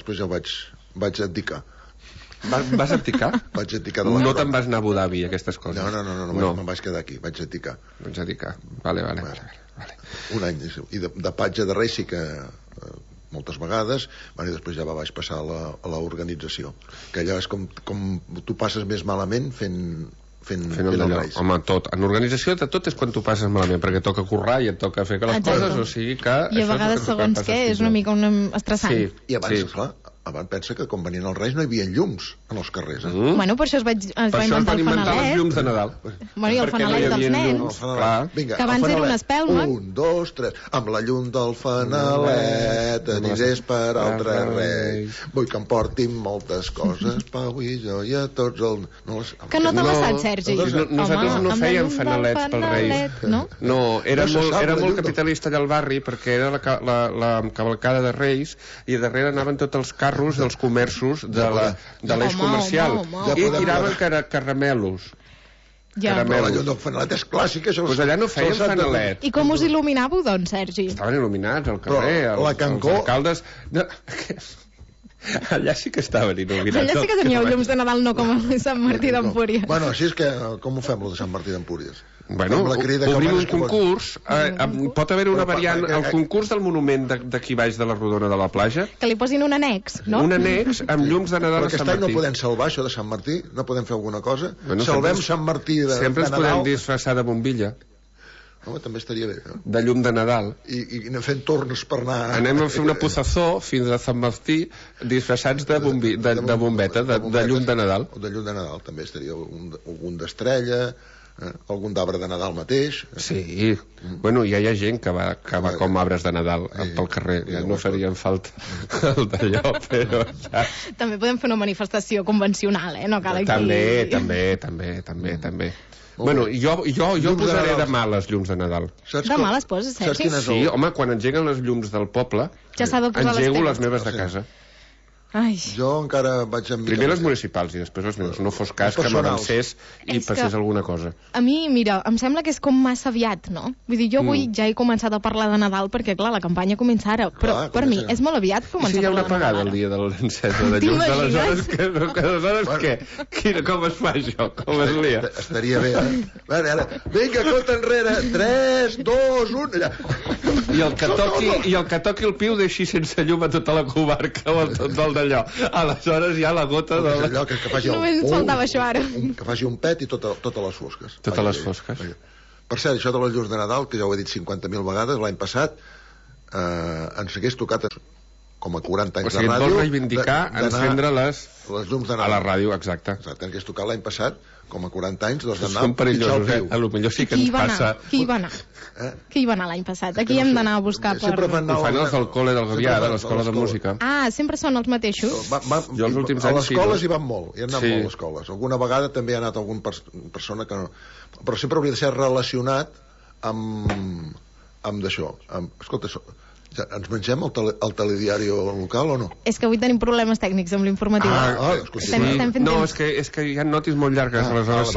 després ja ho vaig abdicar. Vas abdicar? Vaig abdicar de la No te'n vas anar a Abu Dhabi, aquestes coses? No. Me'n vaig quedar aquí, vaig abdicar. Vaig abdicar, vale. Un any, i de patge de Reis sí que moltes vegades, i després ja vaig passar a l'organització, que allò és com tu passes més malament fent el Reis. Home, tot. En organització de tot és quan tu passes malament, perquè toca currar i et toca fer les coses, o sigui que... I a vegades, segons què, és una mica estressant. Sí. I abans, esclar, abans pensa que quan venien els Reis no hi havia llums en els carrers. Bueno, per això es va inventar el fanalet. Els llums de Nadal. Bueno, i el fanalet dels nens. Vinga, que abans era una espelma. 1, 2, 3. Amb la llum del fanalet anirés per altres Reis. Vull que em portin moltes coses, Pau i jo i a tots els... Que no t'ha passat, Sergi? Nosaltres no fèiem fanalets pels Reis. No, era molt capitalista allà al barri, perquè era la cavalcada de Reis i darrere anaven tots els carros dels comerços de l'eix comercial i tiraven caramelos. Però la llum del fanalet és clàssica. Doncs allà no feien fanalet. I com us il·luminàveu, doncs, Sergi? Estaven il·luminats al carrer, els alcaldes... Allà sí que estaven il·luminats. Allà sí que teníeu llums de Nadal, no com a Sant Martí d'Empúries. Bueno, així és que com ho fem, lo de Sant Martí d'Empúries? Bueno, obrim un concurs. Pot haver una variant, el concurs del monument d'aquí baix de la Rodona de la Platja, que li posin un annex, no? Un annex amb llums de Nadal a Sant Martí. Però aquest any no podem salvar això de Sant Martí? No podem fer alguna cosa? Salvem Sant Martí de Nadal. Sempre ens podem disfressar de bombilla. Home, també estaria bé. De llum de Nadal. I anem fent torns per anar... Anem a fer una pozazó fins a Sant Martí disfressats de bombeta, de llum de Nadal. De llum de Nadal, també estaria algun d'estrella... algun d'arbre de Nadal mateix. Sí, bueno, ja hi ha gent que va com arbres de Nadal pel carrer, ja no farien falta el d'allò, però... També podem fer una manifestació convencional, no cal aquí... També. Bueno, jo posaré demà les llums de Nadal. Demà les poses, Sergi? Sí, home, quan engeguen les llums del poble, engego les meves de casa. Jo encara vaig amb... Primer les municipals i després les meves. No fos cas que m'avancés i passés alguna cosa. A mi, mira, em sembla que és com massa aviat, no? Vull dir, jo avui ja he començat a parlar de Nadal perquè, clar, la campanya comença ara, però per mi és molt aviat començar a parlar de Nadal. I si hi ha una apagada el dia de l'encesa de llums, aleshores què? Com es fa això? Com es lia? Estaria bé, Ara, vinga, compte enrere, 3, 2, 1... I el que toqui el piu deixi sense llum a tota la comarca o tot d'allò. Aleshores ja la gota de... Allò que faci només ens faltava això ara. Que faci un pet i totes les fosques. Totes les fosques. Per cert, això de les llums de Nadal, que ja ho he dit 50.000 vegades, l'any passat ens hagués tocat com a 40 anys de ràdio... O sigui, et vols reivindicar encendre les llums de Nadal. A la ràdio, exacte. Ens hagués tocat l'any passat com a 40 anys d'anar a pitjar el piu. A lo millor sí que ens passa... Qui hi va anar? Qui hi va anar l'any passat? Aquí hem d'anar a buscar per... Ho fan els del col·le del Gavià, de l'escola de música. Ah, sempre són els mateixos? Jo els últims anys sí. A les escoles hi van molt, hi han anat molt a les escoles. Alguna vegada també ha anat alguna persona que no... Però sempre hauria de ser relacionat amb d'això. Escolta, ens mengem el telediari local o no? És que avui tenim problemes tècnics amb l'informatiu. No, és que hi ha notis molt llargues, aleshores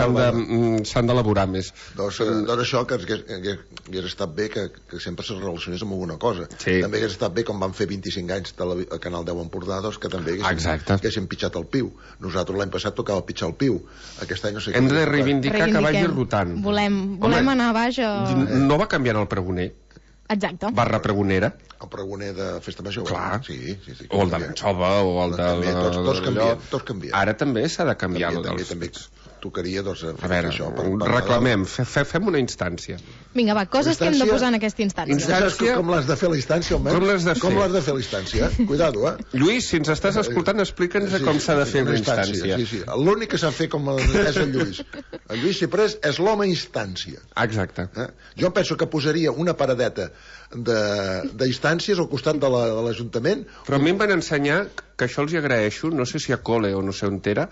s'han d'elaborar més. Doncs això, que hagués estat bé que sempre se relacionés amb alguna cosa. També hagués estat bé, com van fer 25 anys al Canal 10 Empordà, que també haguéssim pitjat el piu. Nosaltres l'any passat tocava pitjar el piu. Aquest any no sé què. Hem de reivindicar que vagi rotant. Volem anar baix a... No va canviant el pregoner? Exacte. Barra pregonera. El pregoner de Festa Major. Clar. Sí. O el de l'anxova, o el de... Tots canvien. Ara també s'ha de canviar. També tocaria, doncs, a veure, reclamem, fem una instància. Vinga, va, coses que hem de posar en aquesta instància. Com l'has de fer la instància, almenys? Com l'has de fer la instància? Cuidado, Lluís, si ens estàs escoltant, explica'ns com s'ha de fer una instància. Sí. L'únic que sap fer com és el Lluís. El Lluís Ciprés és l'home instància. Exacte. Jo penso que posaria una paradeta d'instàncies al costat de l'Ajuntament. Però a mi em van ensenyar, que això els hi agraeixo, no sé si a col·le o no sé on era,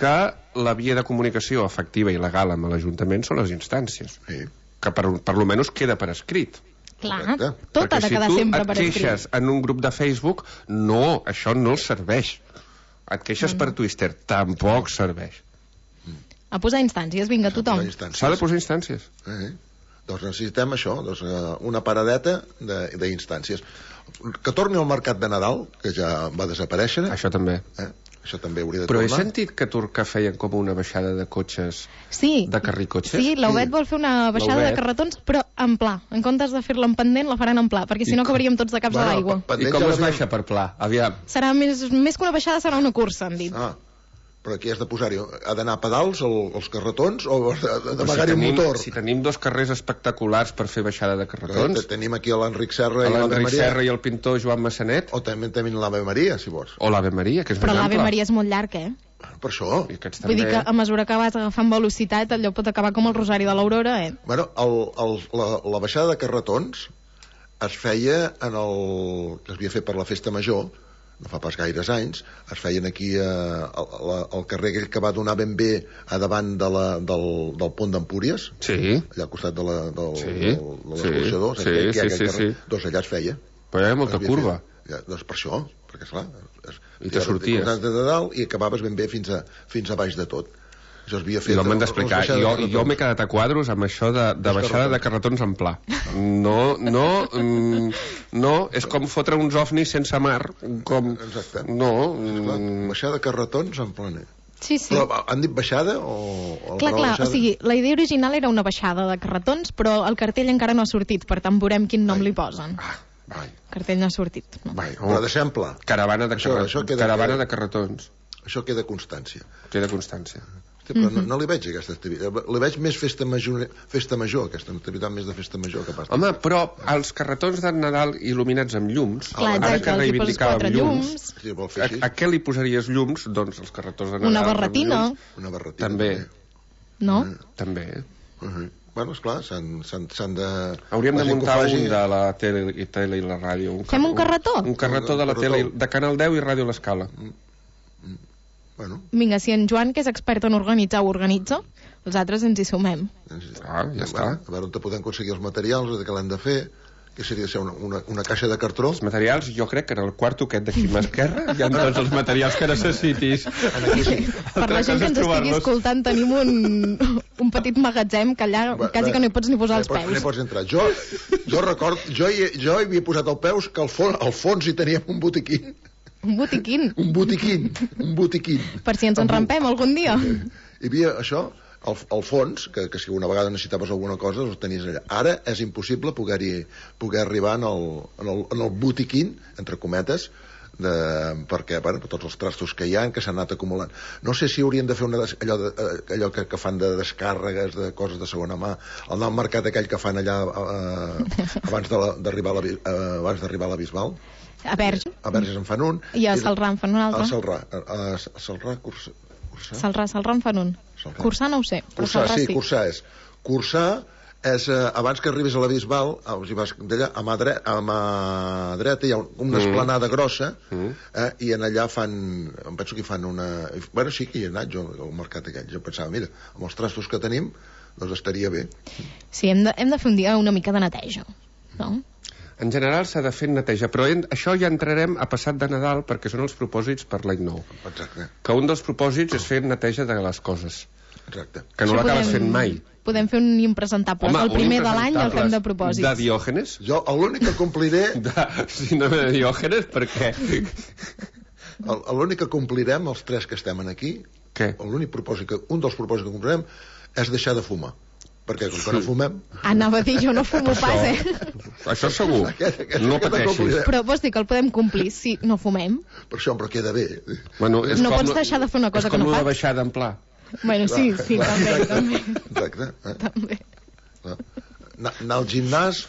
que la via de comunicació efectiva i legal amb l'Ajuntament són les instàncies. Que per lo menys queda per escrit. Clar, tot ha de quedar sempre per escrit. Perquè si tu et queixes en un grup de Facebook, no, això no els serveix. Et queixes per Twitter, tampoc serveix. A posar instàncies, vinga, tothom. S'ha de posar instàncies. Doncs necessitem això, una paradeta d'instàncies. Que torni al mercat de Nadal, que ja va desaparèixer. Això també. Això també hauria de tornar. Però he sentit que a Turca feien com una baixada de cotxes, de carricotxes? Sí, l'Obed vol fer una baixada de carretons, però en pla. En comptes de fer-la en pendent, la faran en pla, perquè si no acabaríem tots de caps a l'aigua. I com es baixa per pla? Aviam. Serà més que una baixada, serà una cursa, han dit. Però aquí has de posar-hi, ha d'anar a pedals els carretons o d'amagar-hi el motor? Si tenim 2 carrers espectaculars per fer baixada de carretons... Tenim aquí l'Enric Serra i l'Enric Serra i el pintor Joan Massanet. O també tenim l'Ave Maria, si vols. O l'Ave Maria, que és però l'Ave Maria és molt llarg, Per això. Vull dir que a mesura que vas agafant velocitat, allò pot acabar com el Rosari de l'Aurora, Bueno, la baixada de carretons es feia que es havia fet per la Festa Major, no fa pas gaires anys, es feien aquí al carrer aquell que va donar ben bé a davant del pont d'Empúries, allà al costat de l'escorxador, doncs allà es feia. Però hi ha molta curva. Doncs per això, perquè esclar, i te sorties de dalt i acabaves ben bé fins a baix de tot. I no m'han d'explicar, jo m'he quedat a quadros amb això de baixada de carretons en pla. No, és com fotre uns ovnis sense mar, com... Exacte. No. Baixada de carretons en planer. Sí. Però han dit baixada o... Clar, o sigui, la idea original era una baixada de carretons, però el cartell encara no ha sortit, per tant veurem quin nom li posen. El cartell no ha sortit. Però deixem pla. Caravana de carretons. Això queda constància. Però no li veig aquesta activitat. Li veig més festa major, aquesta activitat més de festa major que pas. Home, però els carretons de Nadal il·luminats amb llums, ara que reivindicàvem llums, a què li posaries llums? Doncs els carretons de Nadal. Una barretina. També. No? També. Bueno, esclar, s'han de... Hauríem de muntar un de la tele i la ràdio. Fem un carretó? Un carretó de la tele, de Canal 10 i Ràdio L'Escala. Vinga, si en Joan, que és expert en organitzar, ho organitza, els altres ens hi sumem. Ja està. A veure on podem aconseguir els materials, què l'hem de fer, que seria ser una caixa de cartró. Els materials, jo crec que en el quarto aquest d'aquí a l'esquerra hi ha tots els materials que necessitis. Per la gent que ens estigui escoltant, tenim un petit magatzem que allà quasi que no hi pots ni posar els peus. No hi pots entrar. Jo record, jo hi havia posat els peus que al fons hi teníem un botiquín. Un botiquín? Un botiquín. Per si ens enrampem algun dia. Hi havia això, al fons, que si una vegada necessitaves alguna cosa, ho tenies allà. Ara és impossible poder arribar en el botiquín, entre cometes, perquè tots els trastos que hi ha, que s'han anat acumulant. No sé si haurien de fer allò que fan de descàrregues de coses de segona mà, el nou mercat aquell que fan allà abans d'arribar a la Bisbal. A Verges. A Verges en fan un. I a Salrà en fan un altre. A Salrà, Salrà en fan un. Cursà no ho sé, però Salrà sí. Cursà és. Cursà és, abans que arribis a la Bisbal, d'allà, a mà dreta hi ha una esplanada grossa, i en allà em penso que hi fan una... Bueno, sí que hi he anat jo al mercat aquell. Jo pensava, mira, amb els trastos que tenim, doncs estaria bé. Sí, hem de fer un dia una mica de neteja, no? En general s'ha de fer neteja, però això ja entrarem a passat de Nadal perquè són els propòsits per l'any nou. Exacte. Que un dels propòsits és fer neteja de les coses. Exacte. Que no l'acabes fent mai. Podem fer un impresentable. El primer de l'any el fem de propòsits. De Diògenes? Jo l'únic que compliré... Si no de Diògenes, per què? L'únic que complirem, els tres que estem aquí, un dels propòsits que complirem és deixar de fumar. Perquè com que no fumem... Anava a dir, jo no fumo pas, Això segur, no pateixis. Però vols dir que el podem complir si no fumem? Per això, però queda bé. No pots deixar de fer una cosa que no fas. És com la baixada en pla. Bueno, sí, també. Exacte. També. Anar al gimnàs...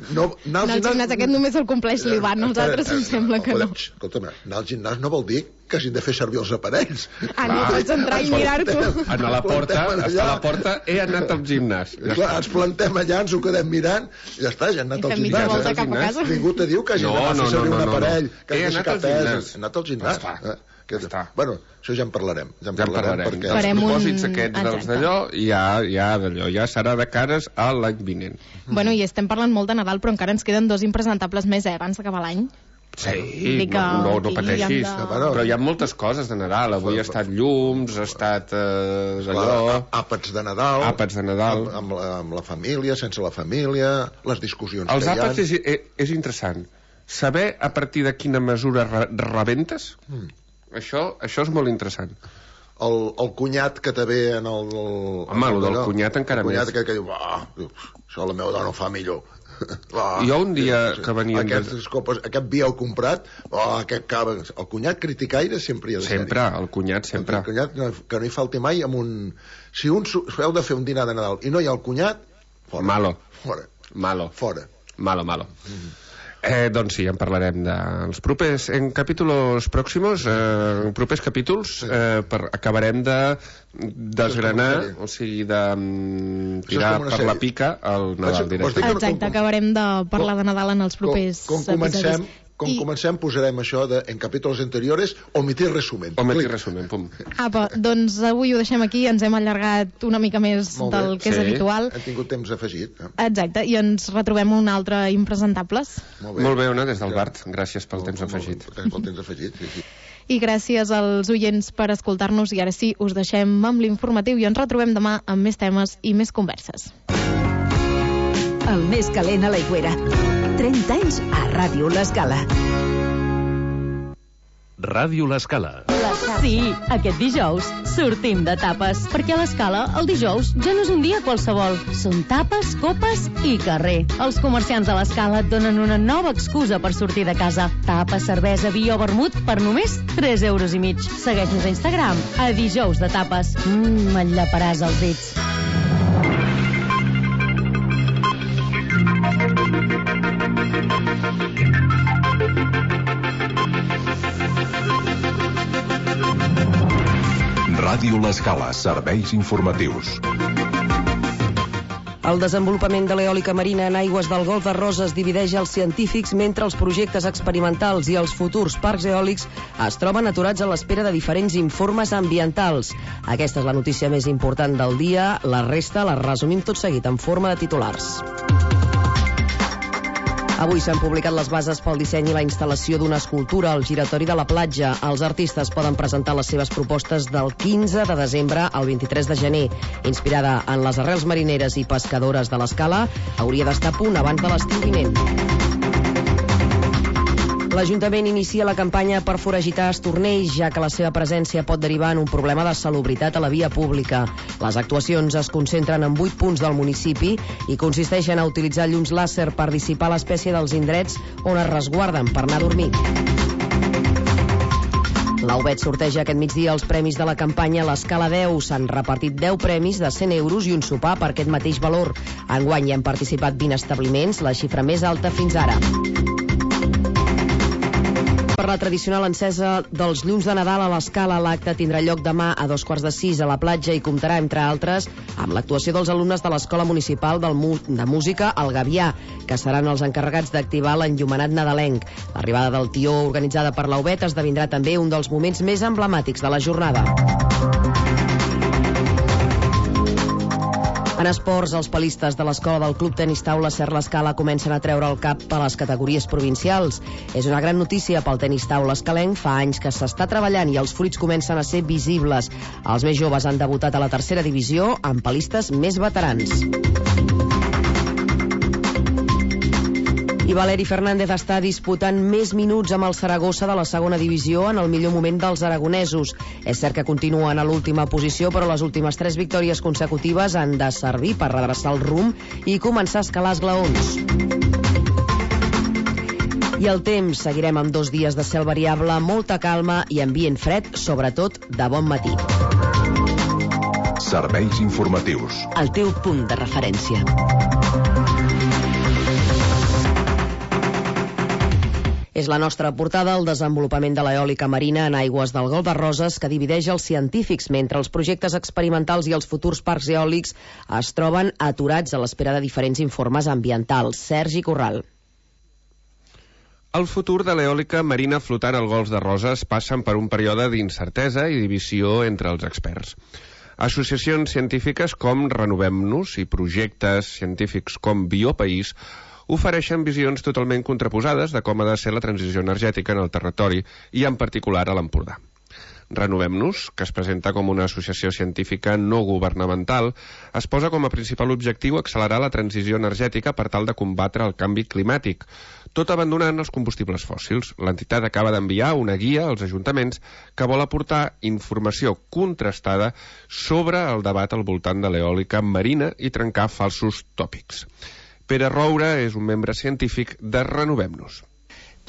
Anar al gimnàs aquest només el compleix l'Ivan, els altres em sembla que no. Escolta'm, anar al gimnàs no vol dir que hagin de fer servir els aparells. No pots entrar i mirar-t'ho. A la porta, he anat al gimnàs. Ens plantem allà, ens ho quedem mirant, i ja està, ja han anat al gimnàs. Ningú te diu que hagin de fer servir un aparell, que hagi de ficar pes. He anat al gimnàs. Bueno, això ja en parlarem. Ja en parlarem. Els propòsits aquests dels d'allò ja serà de cares a l'any vinent. Bueno, i estem parlant molt de Nadal, però encara ens queden 2 impresentables més, abans d'acabar l'any. Sí, no pateixis, però hi ha moltes coses de Nadal. Avui ha estat llums, ha estat allò... Àpats de Nadal, amb la família, sense la família, les discussions que hi ha. Els àpats és interessant. Saber a partir de quina mesura rebentes, això és molt interessant. El cunyat que te ve en el... Home, el del cunyat encara més. El cunyat que diu, això la meva dona ho fa millor. Jo un dia que venia... Aquest vi heu comprat, aquest cava... El cunyat criticaire sempre hi ha de ser. Sempre, el cunyat sempre. El cunyat que no hi falti mai amb un... Si heu de fer un dinar de Nadal i no hi ha el cunyat, fora. Malo. Fora. Malo. Fora. Malo. Doncs sí, en parlarem dels propers en capítols pròximos, propers capítols, acabarem de desgranar, o sigui, de tirar per la pica el Nadal directe. Exacte, acabarem de parlar de Nadal en els propers episodis. Comencem, posarem això de, en capítols anteriores, omitir resumen. Pum. Apa, doncs avui ho deixem aquí, ens hem allargat una mica més del que és habitual. Hem tingut temps afegit. Exacte, i ens retrobem un altre Impresentables. Molt bé, Ona, des del Bart. Gràcies pel temps afegit. Gràcies pel temps afegit, sí. I gràcies als oients per escoltar-nos, i ara sí, us deixem amb l'informatiu i ens retrobem demà amb més temes i més converses. El més calent a l'Aigüera. 30 anys a Ràdio L'Escala. Ràdio L'Escala. Sí, aquest dijous sortim de tapes, perquè a l'Escala el dijous ja no és un dia qualsevol. Són tapes, copes i carrer. Els comerciants de l'Escala et donen una nova excusa per sortir de casa. Tapes, cervesa, vi o vermut per només 3,5 euros. Segueix-nos a Instagram, a Dijous de Tapes. Et llaparàs els dits. Ràdio L'Escala, serveis informatius. El desenvolupament de l'eòlica marina en aigües del Golf de Roses divideix els científics, mentre els projectes experimentals i els futurs parcs eòlics es troben aturats a l'espera de diferents informes ambientals. Aquesta és la notícia més important del dia. La resta la resumim tot seguit en forma de titulars. Avui s'han publicat les bases pel disseny i la instal·lació d'una escultura al giratori de la platja. Els artistes poden presentar les seves propostes del 15 de desembre al 23 de gener. Inspirada en les arrels marineres i pescadores de l'Escala, hauria d'estar a punt abans de l'estiu vinent. L'Ajuntament inicia la campanya per foragitar estornells, ja que la seva presència pot derivar en un problema de salubritat a la via pública. Les actuacions es concentren en 8 punts del municipi i consisteixen a utilitzar llums làser per dissipar l'espècie dels indrets on es resguarden per anar a dormir. L'Aubet sorteja aquest migdia els premis de la campanya L'Escala 10. S'han repartit 10 premis de 100 euros i un sopar per aquest mateix valor. Enguany hi han participat 20 establiments, la xifra més alta fins ara. Per la tradicional encesa dels llums de Nadal a l'Escala, l'acte tindrà lloc demà a 5:45 a la platja i comptarà, entre altres, amb l'actuació dels alumnes de l'Escola Municipal de Música El Gavià, que seran els encarregats d'activar l'enllumenat nadalenc. L'arribada del tió, organitzada per l'Aubet, esdevindrà també un dels moments més emblemàtics de la jornada. En esports, els palistes de l'escola del Club Tenis Taula Ser l'Escala comencen a treure el cap a les categories provincials. És una gran notícia pel tenis taula escalenc. Fa anys que s'està treballant i els fruits comencen a ser visibles. Els més joves han debutat a la tercera divisió amb palistes més veterans. I Valeri Fernández està disputant més minuts amb el Saragossa de la segona divisió en el millor moment dels aragonesos. És cert que continuen a l'última posició, però les últimes 3 victòries consecutives han de servir per redreçar el rumb i començar a escalar esglaons. I el temps, seguirem amb 2 dies de cel variable, molta calma i ambient fred, sobretot de bon matí. Serveis informatius. El teu punt de referència. És la nostra portada el desenvolupament de l'eòlica marina en aigües del Golf de Roses, que divideix els científics, mentre els projectes experimentals i els futurs parcs eòlics es troben aturats a l'espera de diferents informes ambientals. Sergi Corral. El futur de l'eòlica marina flotant al Golf de Roses passen per un període d'incertesa i divisió entre els experts. Associacions científiques com Renovem-nos i projectes científics com Biopaís ofereixen visions totalment contraposades de com ha de ser la transició energètica en el territori i en particular a l'Empordà. Renovem-nos, que es presenta com una associació científica no governamental, es posa com a principal objectiu accelerar la transició energètica per tal de combatre el canvi climàtic, tot abandonant els combustibles fòssils. L'entitat acaba d'enviar una guia als ajuntaments que vol aportar informació contrastada sobre el debat al voltant de l'eòlica marina i trencar falsos tòpics. Pere Roure és un membre científic de Renovem-nos.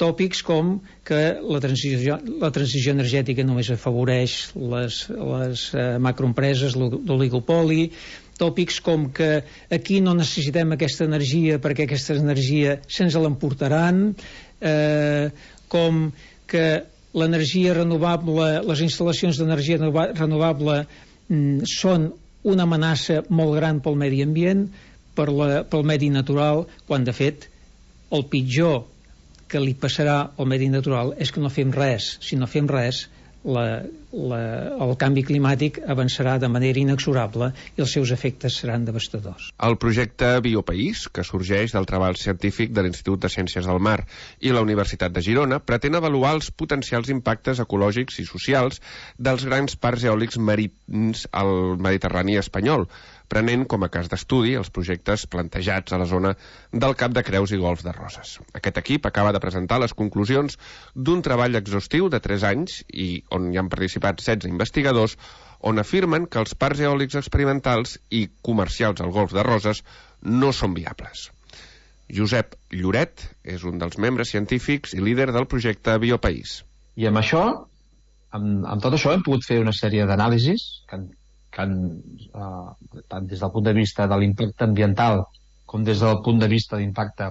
Tòpics com que la transició energètica només afavoreix les macroempreses, l'oligopoli, tòpics com que aquí no necessitem aquesta energia perquè aquesta energia se'ns l'emportaran, com que l'energia renovable, les instal·lacions d'energia renovable són una amenaça molt gran pel medi ambient, pel medi natural, quan de fet el pitjor que li passarà al medi natural és que no fem res. Si no fem res, el canvi climàtic avançarà de manera inexorable i els seus efectes seran devastadors. El projecte Biopaís, que sorgeix del treball científic de l'Institut de Ciències del Mar i la Universitat de Girona, pretén avaluar els potencials impactes ecològics i socials dels grans parcs eòlics marins al Mediterrani espanyol, prenent com a cas d'estudi els projectes plantejats a la zona del Cap de Creus i Golf de Roses. Aquest equip acaba de presentar les conclusions d'un treball exhaustiu de 3 anys i on hi han participat 16 investigadors, on afirmen que els parcs eòlics experimentals i comercials al Golf de Roses no són viables. Josep Lloret és un dels membres científics i líder del projecte Biopaís. I amb això, amb tot això, hem pogut fer una sèrie d'anàlisis que tant des del punt de vista de l'impacte ambiental com des del punt de vista d'impacte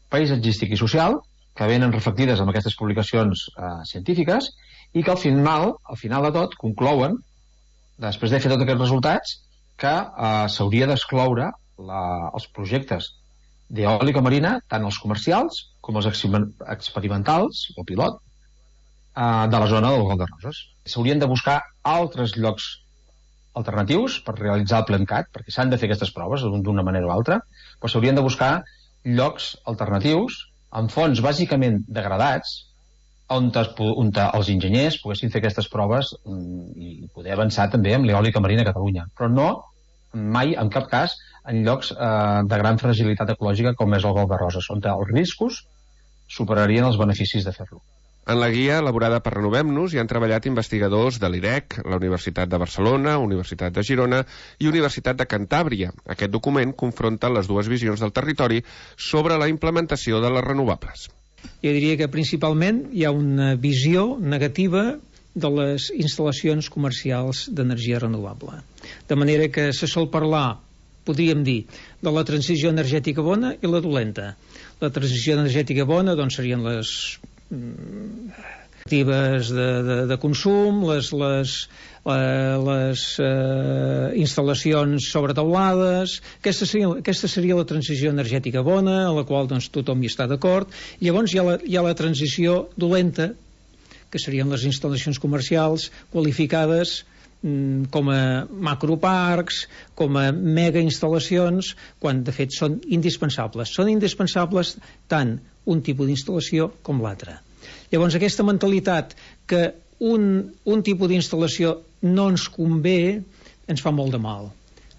paisatgístic i social, que venen reflectides en aquestes publicacions científiques i que al final de tot conclouen, després de fer tots aquests resultats, que s'hauria d'excloure els projectes d'eòlica marina, tant els comercials com els experimentals o pilot de la zona del Golf de Roses. S'haurien de buscar altres llocs alternatius per realitzar el PLENCAT, perquè s'han de fer aquestes proves d'una manera o altra, però s'haurien de buscar llocs alternatius amb fons bàsicament degradats on els enginyers poguessin fer aquestes proves i poder avançar també amb l'eòlica marina a Catalunya, però no mai, en cap cas, en llocs de gran fragilitat ecològica com és el Golf de Roses, on els riscos superarien els beneficis de fer-lo. En la guia elaborada per Renovem-nos hi han treballat investigadors de l'IREC, la Universitat de Barcelona, Universitat de Girona i Universitat de Cantàbria. Aquest document confronta les dues visions del territori sobre la implementació de les renovables. Jo diria que principalment hi ha una visió negativa de les instal·lacions comercials d'energia renovable. De manera que se sol parlar, podríem dir, de la transició energètica bona i la dolenta. La transició energètica bona doncs, serien les actives de consum, les instal·lacions sobre teulades. Aquesta seria la transició energètica bona, a la qual doncs, tothom hi està d'acord. Llavors hi ha la transició dolenta, que serien les instal·lacions comercials qualificades com a macroparcs, com a mega instal·lacions, quan de fet són indispensables. Són indispensables tant un tipus d'instal·lació com l'altre. Llavors aquesta mentalitat que un tipus d'instal·lació no ens convé ens fa molt de mal.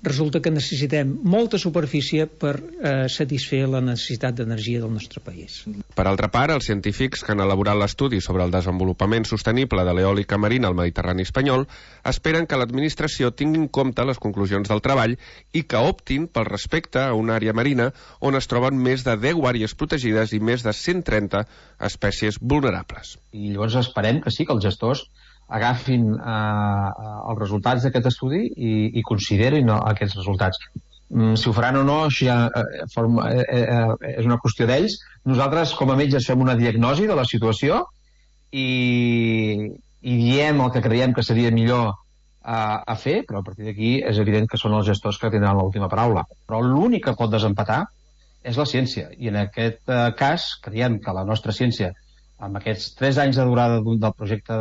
Resulta que necessitem molta superfície per satisfer la necessitat d'energia del nostre país. Per altra part, els científics que han elaborat l'estudi sobre el desenvolupament sostenible de l'eòlica marina al Mediterrani espanyol esperen que l'administració tingui en compte les conclusions del treball i que optin pel respecte a una àrea marina on es troben més de 10 àrees protegides i més de 130 espècies vulnerables. I llavors esperem que sí, que els gestors agafin els resultats d'aquest estudi i considerin aquests resultats. Si ho faran o no, això ja és una qüestió d'ells. Nosaltres, com a metges, fem una diagnosi de la situació i diem el que creiem que seria millor a fer, però a partir d'aquí és evident que són els gestors que tindran l'última paraula. Però l'únic que pot desempatar és la ciència, i en aquest cas creiem que la nostra ciència, amb aquests 3 anys de durada del projecte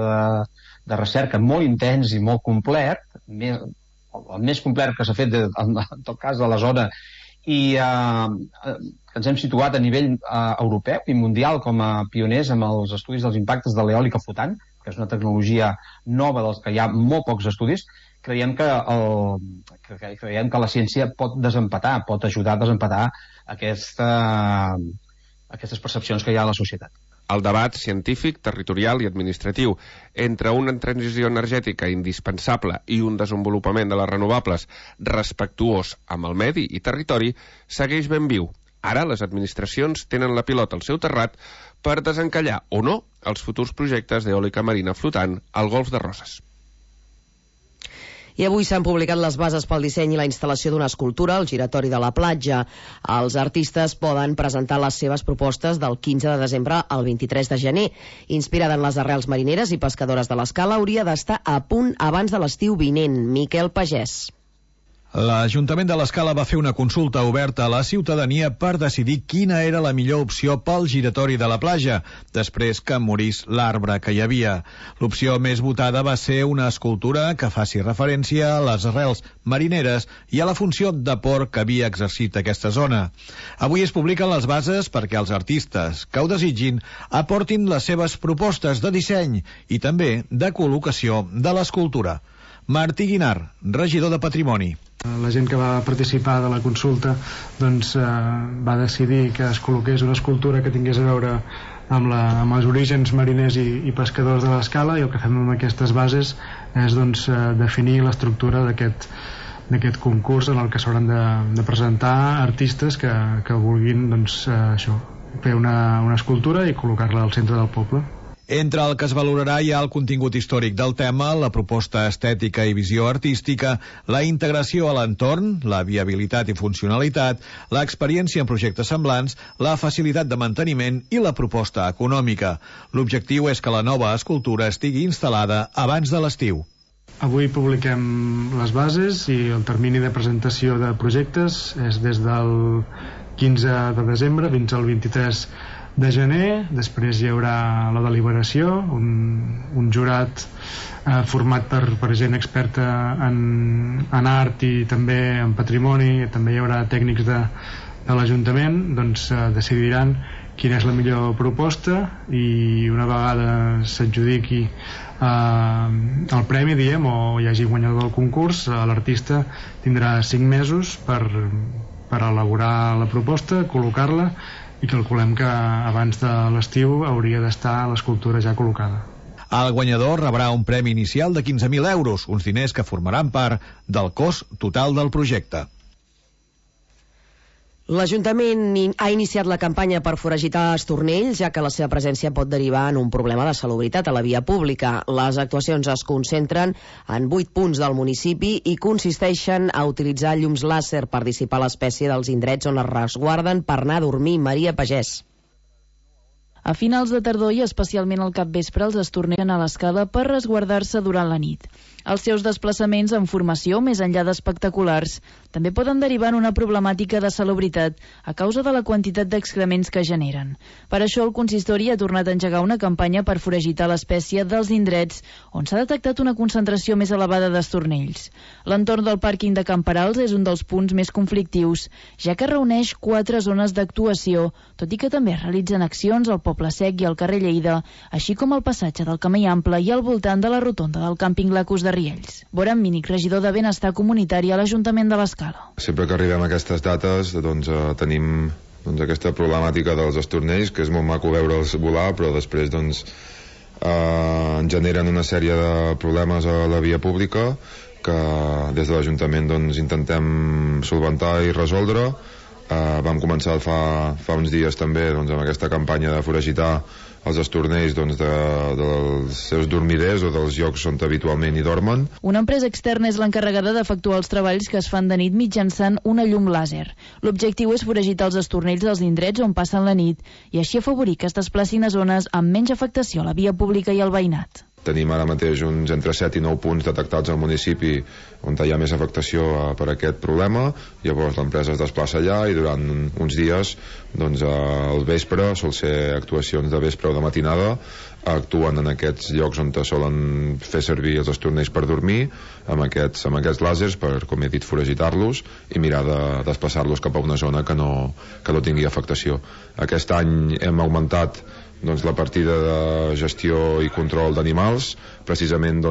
de recerca molt intens i molt complet, el més complet que s'ha fet en tot cas de la zona, i que ens hem situat a nivell europeu i mundial com a pioners amb els estudis dels impactes de l'eòlica flotant, que és una tecnologia nova dels que hi ha molt pocs estudis. Creiem que la ciència pot desempatar, pot ajudar a desempatar aquestes percepcions que hi ha a la societat. El debat científic, territorial i administratiu entre una transició energètica indispensable i un desenvolupament de les renovables respectuós amb el medi i territori segueix ben viu. Ara les administracions tenen la pilota al seu terrat per desencallar o no els futurs projectes d'eòlica marina flotant al Golf de Roses. I avui s'han publicat les bases pel disseny i la instal·lació d'una escultura al giratori de la platja. Els artistes poden presentar les seves propostes del 15 de desembre al 23 de gener. Inspirada en les arrels marineres i pescadores de l'Escala, hauria d'estar a punt abans de l'estiu vinent. Miquel Pagès. L'Ajuntament de l'Escala va fer una consulta oberta a la ciutadania per decidir quina era la millor opció pel giratori de la platja, després que morís l'arbre que hi havia. L'opció més votada va ser una escultura que faci referència a les arrels marineres i a la funció de port que havia exercit aquesta zona. Avui es publiquen les bases perquè els artistes que ho desitgin aportin les seves propostes de disseny i també de col·locació de l'escultura. Martí Guinar, regidor de Patrimoni. La gent que va participar de la consulta va decidir que es col·loqués una escultura que tingués a veure amb els orígens mariners i pescadors de l'Escala, i el que fem amb aquestes bases és definir l'estructura d'aquest concurs en el que s'hauran de presentar artistes que vulguin fer una escultura i col·locar-la al centre del poble. Entre el que es valorarà hi ha el contingut històric del tema, la proposta estètica i visió artística, la integració a l'entorn, la viabilitat i funcionalitat, l'experiència en projectes semblants, la facilitat de manteniment i la proposta econòmica. L'objectiu és que la nova escultura estigui instal·lada abans de l'estiu. Avui publiquem les bases i el termini de presentació de projectes és des del 15 de desembre fins al 23 de gener. Després hi haurà la deliberació, un jurat format per gent experta en art i també en patrimoni, també hi haurà tècnics de l'Ajuntament, decidiran quina és la millor proposta, i una vegada s'adjudiqui el premi, o hi hagi guanyador del concurs, l'artista tindrà 5 mesos per elaborar la proposta, col·locar-la, i calculem que abans de l'estiu hauria d'estar l'escultura ja col·locada. El guanyador rebrà un premi inicial de 15.000 euros, uns diners que formaran part del cost total del projecte. L'Ajuntament ha iniciat la campanya per foragitar estornells, ja que la seva presència pot derivar en un problema de salubritat a la via pública. Les actuacions es concentren en 8 punts del municipi i consisteixen a utilitzar llums làser per dissipar l'espècie dels indrets on es resguarden per anar a dormir. Maria Pagès. A finals de tardor i especialment al capvespre els estornellen a l'Escala per resguardar-se durant la nit. Els seus desplaçaments en formació, més enllà d'espectaculars, també poden derivar en una problemàtica de salubritat a causa de la quantitat d'excrements que generen. Per això el consistori ha tornat a engegar una campanya per foragitar l'espècie dels indrets on s'ha detectat una concentració més elevada d'estornells. L'entorn del pàrquing de Camperals és un dels punts més conflictius, ja que reuneix 4 zones d'actuació, tot i que també es realitzen accions al Poble Sec i al carrer Lleida, així com al passatge del Camí Ample i al voltant de la rotonda del càmping Lacus de Riells. Boran Mínic, regidor de Benestar Comunitari a l'Ajuntament de l'Escala. Sempre que arribem a aquestes dates tenim aquesta problemàtica dels estornells, que és molt maco veure'ls volar, però després en generen una sèrie de problemes a la via pública que des de l'Ajuntament intentem solventar i resoldre. Vam començar fa uns dies també amb aquesta campanya de foragitar els estornells dels seus dormiders o dels llocs on habitualment hi dormen. Una empresa externa és l'encarregada d'efectuar els treballs que es fan de nit mitjançant una llum làser. L'objectiu és foragitar els estornells dels indrets on passen la nit i així afavorir que es desplacin a zones amb menys afectació a la via pública i al veïnat. tenim ara mateix uns entre 7 i 9 punts detectats al municipi on hi ha més afectació per aquest problema. Llavors l'empresa es desplaça allà i durant uns dies, doncs al vespre, sol ser actuacions de vespre o de matinada, actuen en aquests llocs on solen fer servir els estornells per dormir, amb aquests làsers per, com he dit, foragitar-los i mirar de desplaçar-los cap a una zona que no tingui afectació. Aquest any hem augmentat la partida de gestió i control d'animals, precisament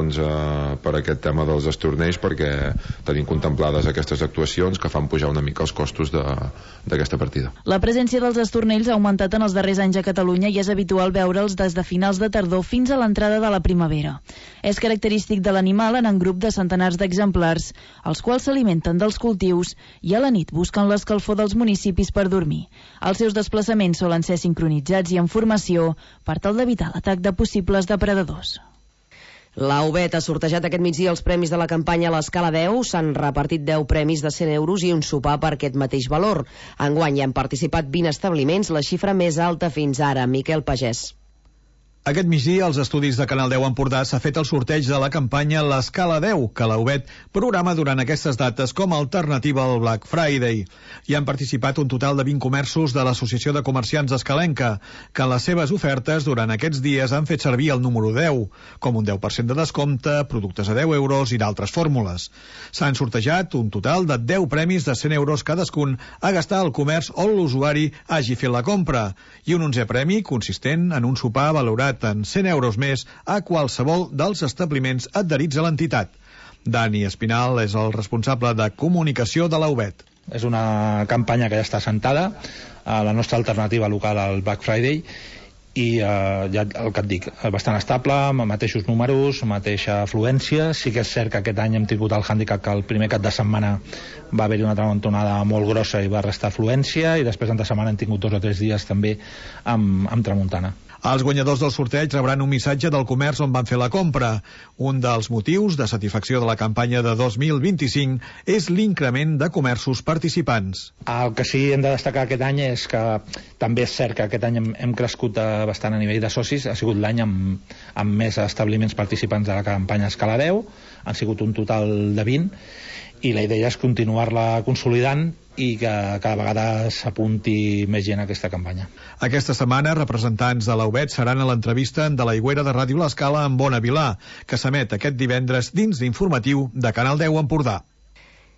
per aquest tema dels estornells, perquè tenim contemplades aquestes actuacions que fan pujar una mica els costos d'aquesta partida. La presència dels estornells ha augmentat en els darrers anys a Catalunya i és habitual veure'ls des de finals de tardor fins a l'entrada de la primavera. És característic de l'animal en grup de centenars d'exemplars, els quals s'alimenten dels cultius i a la nit busquen l'escalfor dels municipis per dormir. Els seus desplaçaments solen ser sincronitzats i en formació per tal d'evitar l'atac de possibles depredadors. La UBET ha sortejat aquest migdia els premis de la campanya a l'escala 10. S'han repartit 10 premis de 100 euros i un sopar per aquest mateix valor. Enguany hi han participat 20 establiments, la xifra més alta fins ara. Miquel Pagès. Aquest migdia, als estudis de Canal 10 Empordà, s'ha fet el sorteig de la campanya L'Escala 10, que la UBET programa durant aquestes dates com a alternativa al Black Friday. Hi han participat un total de 20 comerços de l'Associació de Comerciants Escalenca, que en les seves ofertes durant aquests dies han fet servir el número 10, com un 10% de descompte, productes a 10 euros i d'altres fórmules. S'han sortejat un total de 10 premis de 100 euros cadascun a gastar al comerç on l'usuari hagi fet la compra, i un 11è premi consistent en un sopar valorat en 100 euros més a qualsevol dels establiments adherits a l'entitat. Dani Espinal és el responsable de comunicació de la UBET. És una campanya que ja està assentada, la nostra alternativa local al Black Friday, i ja el que et dic, bastant estable, amb mateixos números, mateixa afluència. Sí que és cert que aquest any hem tingut el hàndicap que el primer cap de setmana va haver-hi una tramuntanada molt grossa i va restar afluència, i després entre setmana hem tingut 2 o 3 dies també amb tramuntana. Els guanyadors del sorteig rebran un missatge del comerç on van fer la compra. Un dels motius de satisfacció de la campanya de 2025 és l'increment de comerços participants. El que sí hem de destacar aquest any és que també és cert que aquest any hem crescut bastant a nivell de socis. Ha sigut l'any amb més establiments participants de la campanya Escala 10, han sigut un total de 20, i la idea és continuar-la consolidant i que cada vegada s'apunti més gent a aquesta campanya. Aquesta setmana, representants de la UBET seran a l'entrevista de l'Aigüera de Ràdio L'Escala amb Bona Vilà, que s'emet aquest divendres dins d'informatiu de Canal 10 Empordà.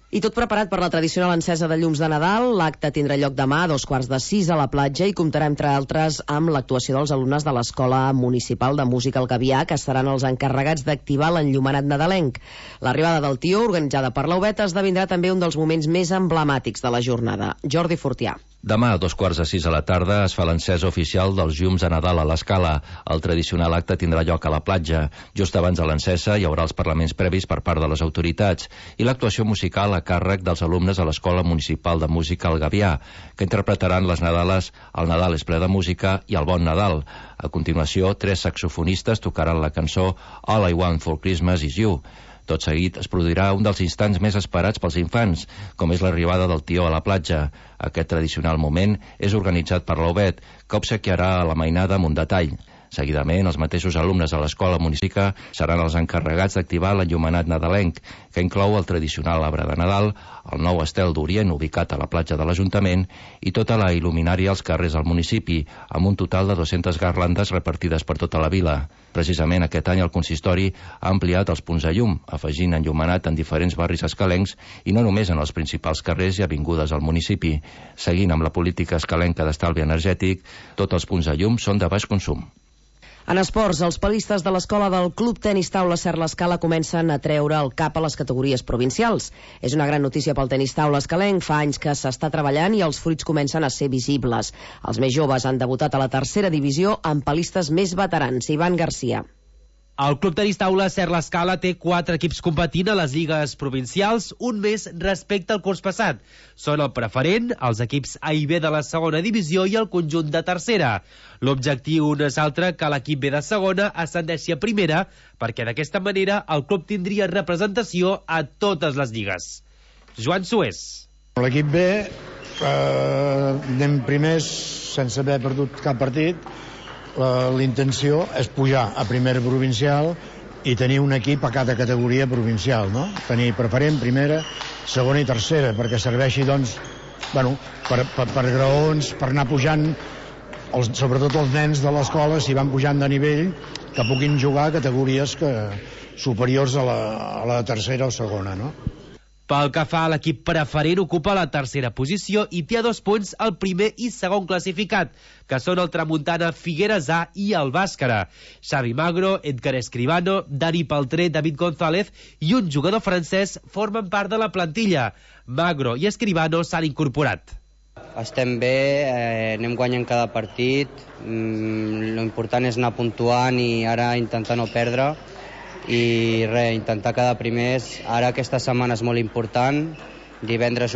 I tot preparat per la tradicional encesa de llums de Nadal. L'acte tindrà lloc demà a 5:45 a la platja i comptarà, entre altres, amb l'actuació dels alumnes de l'Escola Municipal de Música El Gavià, que seran els encarregats d'activar l'enllumenat nadalenc. L'arribada del tió, organitzada per la UBET, esdevindrà també un dels moments més emblemàtics de la jornada. Jordi Fortià. Demà a 5:45 a la tarda es fa l'encesa oficial dels llums de Nadal a l'Escala. El tradicional acte tindrà lloc a la platja. Just abans de l'encesa hi haurà els parlaments previs per part de les autoritats i l'actuació musical a càrrec dels alumnes a l'Escola Municipal de Música El Gavià, que interpretaran les Nadales El Nadal és ple de música i El Bon Nadal. A continuació, 3 saxofonistes tocaran la cançó All I Want for Christmas Is You. Tot seguit es produirà un dels instants més esperats pels infants, com és l'arribada del tió a la platja. Aquest tradicional moment és organitzat per la UBET, que obsequiarà la mainada amb un detall. Seguidament, els mateixos alumnes de l'Escola Municipal seran els encarregats d'activar l'enllumenat nadalenc, que inclou el tradicional arbre de Nadal, el nou estel d'Orient ubicat a la platja de l'Ajuntament i tota la il·luminària als carrers del municipi, amb un total de 200 garlandes repartides per tota la vila. Precisament aquest any el consistori ha ampliat els punts de llum, afegint enllumenat en diferents barris escalencs i no només en els principals carrers i avingudes del municipi. Seguint amb la política escalenca d'estalvi energètic, tots els punts de llum són de baix consum. En esports, els palistes de l'escola del Club Tenis Taula Ser l'Escala comencen a treure el cap a les categories provincials. És una gran notícia pel tenis taula escalenc. Fa anys que s'està treballant i els fruits comencen a ser visibles. Els més joves han debutat a la tercera divisió amb palistes més veterans. Ivan Garcia. El Club Tenis Taula Ser l'Escala té 4 equips competint a les lligues provincials, un més respecte al curs passat. Són el preferent, els equips A i B de la segona divisió i el conjunt de tercera. L'objectiu no és altre que l'equip B de segona ascendeixi a primera, perquè d'aquesta manera el club tindria representació a totes les lligues. Joan Sués. L'equip B anem primers sense haver perdut cap partit. l'intenció és pujar a primera provincial i tenir un equip a cada categoria provincial, no? Tenir preferent, primera, segona i tercera, perquè serveixi, doncs, bueno, per graons, per anar pujant, sobretot els nens de l'escola, si van pujant de nivell, que puguin jugar a categories superiors a la tercera o segona, no? Pel que fa a l'equip preferent, ocupa la tercera posició i té a 2 punts el primer i segon classificat, que són el Tramuntana Figueres A i el Bàscara. Xavi Magro, Edgar Escribano, Dani Paltré, David González i un jugador francès formen part de la plantilla. Magro i Escribano s'han incorporat. Estem bé, anem guanyant cada partit, l'important és anar puntuant i ara intentar no perdre i intentar quedar primers. Ara aquesta setmana és molt important, divendres